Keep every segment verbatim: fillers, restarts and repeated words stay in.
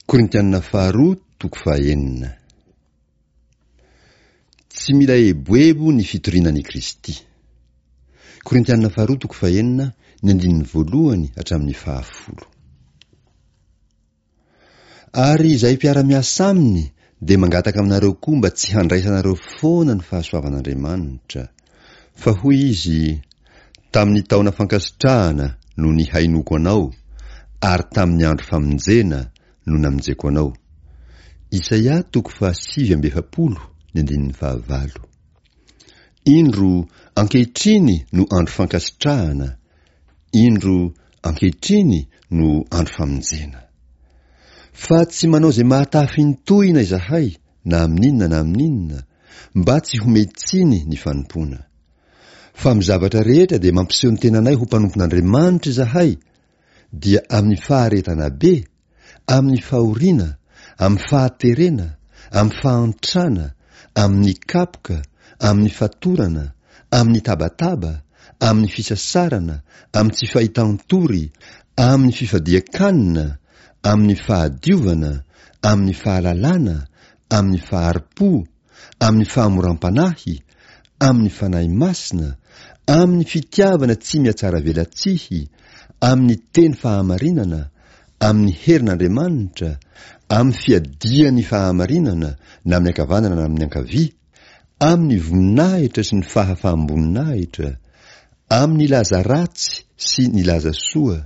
Korintianina faharoa toko fahenina. Tsy mila eboebo ny fitoriana an'i Kristy. Korintianina faharoa toko fahenina, ny andininy voalohany hatramin'ny fahafolo. Ary izay mpiara-miasa aminy dia mangataka aminareo koa mba tsy handraisanareo foana ny fahasoavan'Andriamanitra. Fa hoy izy, tamin'ny taona fankasitrahana no nihainoako anao, ary tamin'ny andro famonjena no namonjeko anao. Isaia toko fahasivy amby efapolo, ny andininy fahavalo. Indro, ankehitriny no andro fankasitrahana, indro, ankehitriny no andro famonjena. Fa tsy manao izay mahatafintohina izahay na amin'inona na amin'inona, mba tsy hometsiny ny fanompoana. Fa amin'ny zavatra rehetra dia mampiseho ny tenanay ho mpanompon'Andriamanitra izahay, dia amin'ny faharetana be, amin'ny fahoriana, amin'ny fahaterena, amin'ny fahantrana, amin'ny kapoka, amin'ny fatorana, amin'ny tabataba, amin'ny fisasarana, amin'ny tsy fahitan-tory, amin'ny fifadian-kanina, amin'ny fahadiovana, amin'ny fahalalana, amin'ny fahari-po, amin'ny fahamoram-panahy, amin'ny fanahy masina, amin'ny fitiavana tsy mihatsaravelatsihy, amin'ny teny fahamarinana, amin'ny herin'Andriamanitra, amin'ny fiadian'ny fahamarinana na amin'ny ankavanana na amin'ny ankavia, amin'ny voninahitra sy ny fahafaham-boninahitra, amin'ny laza ratsy sy ny laza soa,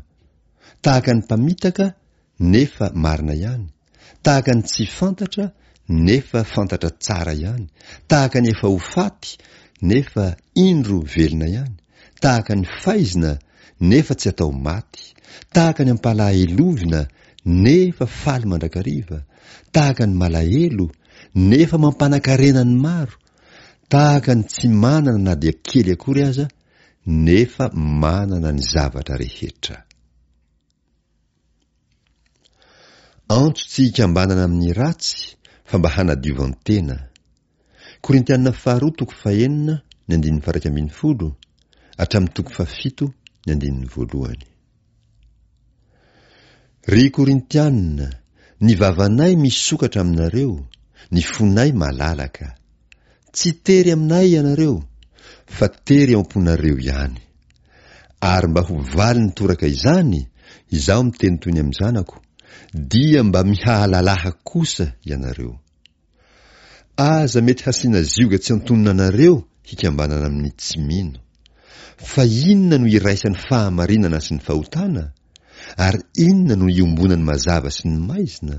tahaka ny mpamitaka nefa marina ihany, tahaka ny tsy fantatra nefa fantatra tsara ihany, tahaka ny efa ho faty nefa indro velona ihany, tahaka ny faizina nefa tsy atao maty, tahaka ny ampalahelovina nefa faly mandrakariva, tahaka ny malahelo nefa mampanan-karena ny maro, tahaka ny tsy manana na dia kely akory aza nefa manana ny zavatra rehetra. Antso tsy hikambanana amin'ny ratsy fa mba hanadiovan-tena. Korintianina faharoa toko fahenina ny andininy faha-iraika ambin'ny folo hatramin'ny toko fahafito ny andininy voalohany. Ry Korintianina, ny vavanay misokatra aminareo, ny fonay malalaka. Tsy tery aminay ianareo, fa tery ao am-ponareo ihany. Ary mba ho valiny toraka izany, izaho miteny toy ny amin'ny zanako, dia mba mihahalalaha kosa ianareo. Aza mety hasiana zioga tsy antonona anareo hikambanana amin'ny tsy mino. Fa inona no iraisan'ny fahamarinana sy ny fahotana? Ary inona no iombonan'ny mazava sy ny maizina?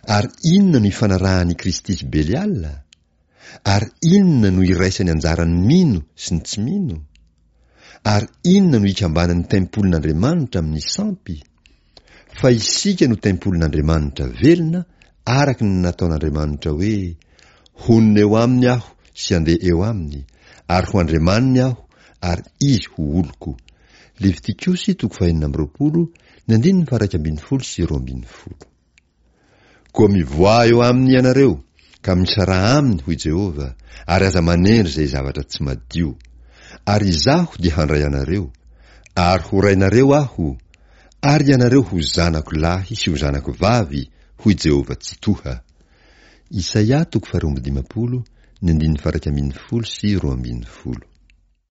Ary inona no ifanarahan'i Kristy sy Beliala? Ary inona no iraisan'ny anjaran'ny mino sy ny tsy mino? Ary inona no ikambanan'ny tempolin'Andriamanitra amin'ny sampy? Fa isika no tempolin'Andriamanitra velona, araka ny nataon'Andriamanitra hoe, honina eo aminy aho sy handeha eo aminy, ary ho Andriamaniny aho, ary izy ho oloko. Levitikosy toko fahenina amby roapolo, ny andininy faha-iraika ambin'ny folo sy roa ambin'ny folo. Koa mivoaha eo aminy ianareo, ka misaraha aminy, hoy Jehovah, ary aza manendry izay zavatra tsy madio. Ary Izaho dia handray anareo, ary ho rainareo Aho, ary ianareo ho zanako lahy sy ho zanako vavy, hoy Jehovah Tsitoha. Isaia toko faharoa amby dimampolo, ny andininy faha-iraika ambin'ny folo sy roa ambin'ny folo.